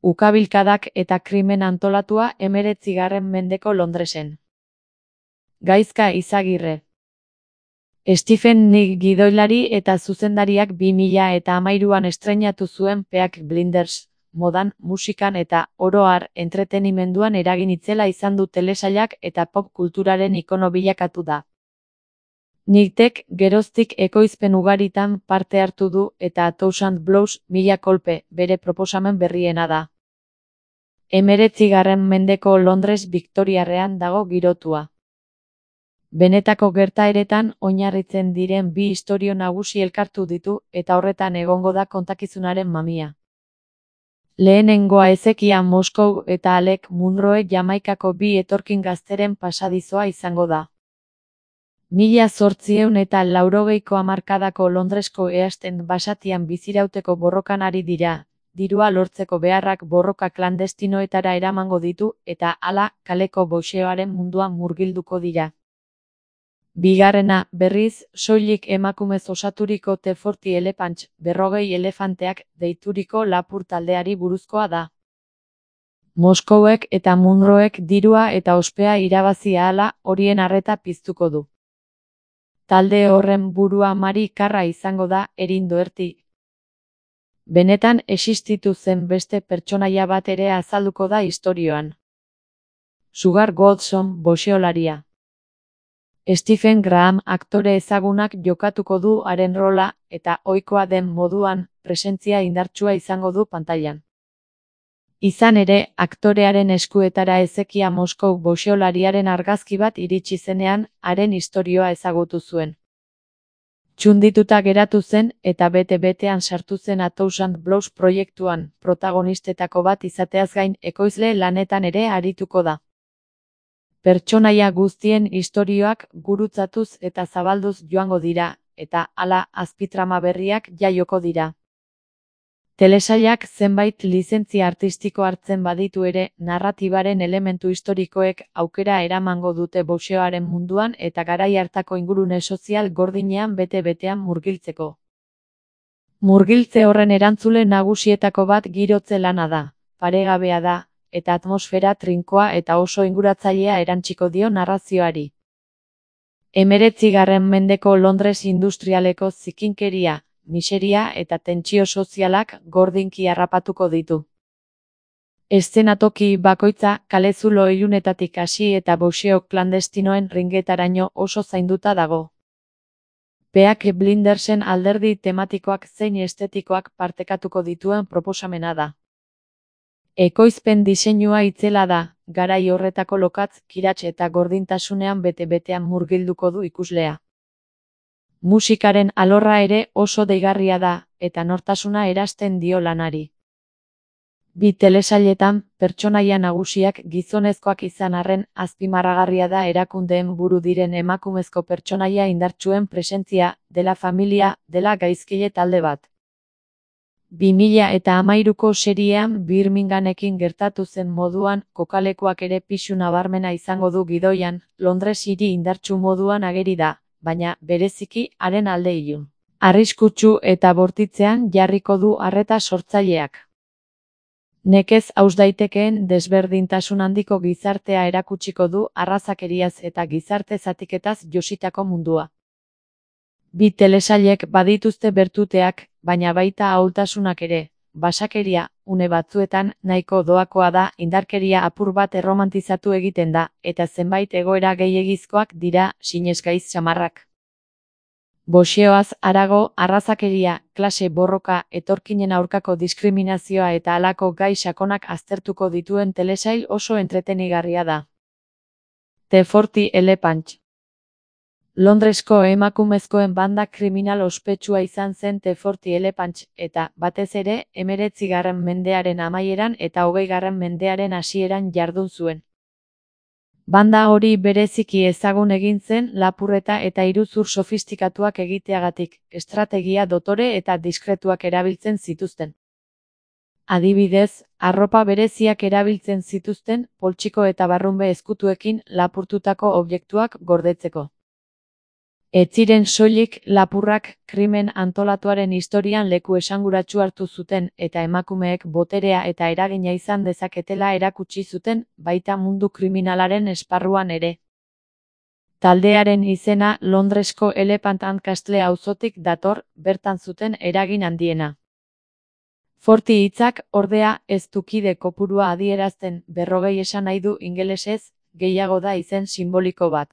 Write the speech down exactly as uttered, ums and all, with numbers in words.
ukabilkadak eta krimen antolatua hemeretzigarren mendeko Londresen. Gaizka Izagirre. Stephen King gidoilari eta zuzendariak bi mila eta hamairuan estreinatu zuen Peaky Blinders, modan, musikan eta, oro har, entretenimenduan eragin itzela izan du telesailak eta pop kulturaren ikono bilakatu da. Nickek geroztik ekoizpen ugaritan parte hartu du eta A Thousand Blows, mila kolpe, bere proposamen berriena da. Hemeretzigarren mendeko Londres Viktoriarrean dago girotua. Benetako gertaeretan oinarritzen diren bi istorio nagusi elkartu ditu eta horretan egongo da kontakizunaren mamia. Lehenengoa ezekia Moskou eta Alec Munroe Jamaikako bi etorkin gazteren pasadizoa izango da. Mila zortziehun eta laurogeiko hamarkadako Londresko ehasten basatian bizirauteko borrokan ari dira, dirua lortzeko beharrak borroka klandestinoetara eramango ditu eta hala kaleko boxeoaren munduan murgilduko dira. Bigarrena, berriz, soilik emakumez osaturiko The Forty Elephants, berrogei elefanteak, deituriko lapur taldeari buruzkoa da. Moskouek eta Munroek dirua eta ospea irabazi ahala horien arreta piztuko du. Talde horren burua Mari Karra izango da, Erin Doherty. Benetan existitu zen beste pertsonaia bat ere azalduko da istorioan. Sugar Godson, boxeolaria. Stephen Graham aktore ezagunak jokatuko du haren rola eta ohikoa den moduan presentzia indartsua izango du pantailan. Izan ere, aktorearen eskuetara ezekia Moskou boxeolariaren argazki bat iritsi zenean haren istorioa ezagutu zuen. Txundituta geratu zen eta bete-betean sartu zen A Thousand Blows proiektuan, protagonistetako bat izateaz gain ekoizle lanetan ere arituko da. Pertsonaia guztien istorioak gurutzatuz eta zabalduz joango dira, eta hala azpitrama berriak jaioko dira. Telesailak zenbait lizentzia artistiko hartzen baditu ere, narratibaren elementu historikoek aukera eramango dute boxeoaren munduan eta garai hartako ingurune sozial gordinean bete-betean murgiltzeko. Murgiltze horren erantzule nagusietako bat girotze lana da, paregabea da, eta atmosfera trinkoa eta oso inguratzailea erantsiko dio narrazioari. Hemeretzigarren mendeko Londres industrialeko zikinkeria, miseria eta tentsio sozialak gordinki harrapatuko ditu. Eszenatoki bakoitza kalezulo ilunetatik hasi eta boxeo klandestinoen ringetaraino oso zainduta dago. Peaky Blindersen alderdi tematikoak zein estetikoak partekatuko dituen proposamena da. Ekoizpen diseinua itzela da, garai horretako lokatz, kirats eta gordintasunean bete-betean murgilduko du ikuslea. Musikaren alorra ere oso deigarria da, eta nortasuna erasten dio lanari. Bi telesailetan, pertsonaia nagusiak gizonezkoak izan arren azpimarragarria da erakundeen buru diren emakumezko pertsonaia indartsuen presentzia, dela familia, dela gaizkile talde bat. bi mila eta hamairuko seriean Birminghamekin gertatu zen moduan, kokalekuak ere pisu nabarmena izango du gidoian, Londres hiri indartsu moduan ageri da, baina bereziki haren alde ilun. Arriskutsu eta bortitzean jarriko du arreta sortzaileak. Nekez haus daitekeen desberdintasun handiko gizartea erakutsiko du arrazakeriaz eta gizarte zatiketaz jositako mundua. Bi telesailek badituzte bertuteak, baina baita ahultasunak ere, basakeria, une batzuetan, nahiko doakoa da, indarkeria apur bat erromantizatu egiten da, eta zenbait egoera gehiegizkoak dira, sinesgaiz samarrak. Boxeoaz harago, arrazakeria, klase borroka, etorkinen aurkako diskriminazioa eta halako gai sakonak aztertuko dituen telesail oso entretenigarria da. The Forty Elephants. Londresko emakumezkoen banda kriminal ospetsua izan zen The Forty Elephants, eta, batez ere, hemeretzigarren mendearen amaieran eta hogeigarren mendearen hasieran jardun zuen. Banda hori bereziki ezagun egin zen lapurreta eta iruzur sofistikatuak egiteagatik, estrategia dotore eta diskretuak erabiltzen zituzten. Adibidez, arropa bereziak erabiltzen zituzten, poltsiko eta barrunbe ezkutuekin lapurtutako objektuak gordetzeko. Ez ziren soilik lapurrak krimen antolatuaren historian leku esanguratsu hartu zuten eta emakumeek boterea eta eragina izan dezaketela erakutsi zuten, baita mundu kriminalaren esparruan ere. Taldearen izena Londresko Elephant and Castle auzotik dator, bertan zuten eragin handiena. Forty hitzak, ordea, ez du kide kopurua adierazten, berrogei esan nahi du ingelesez, gehiago da izen sinboliko bat.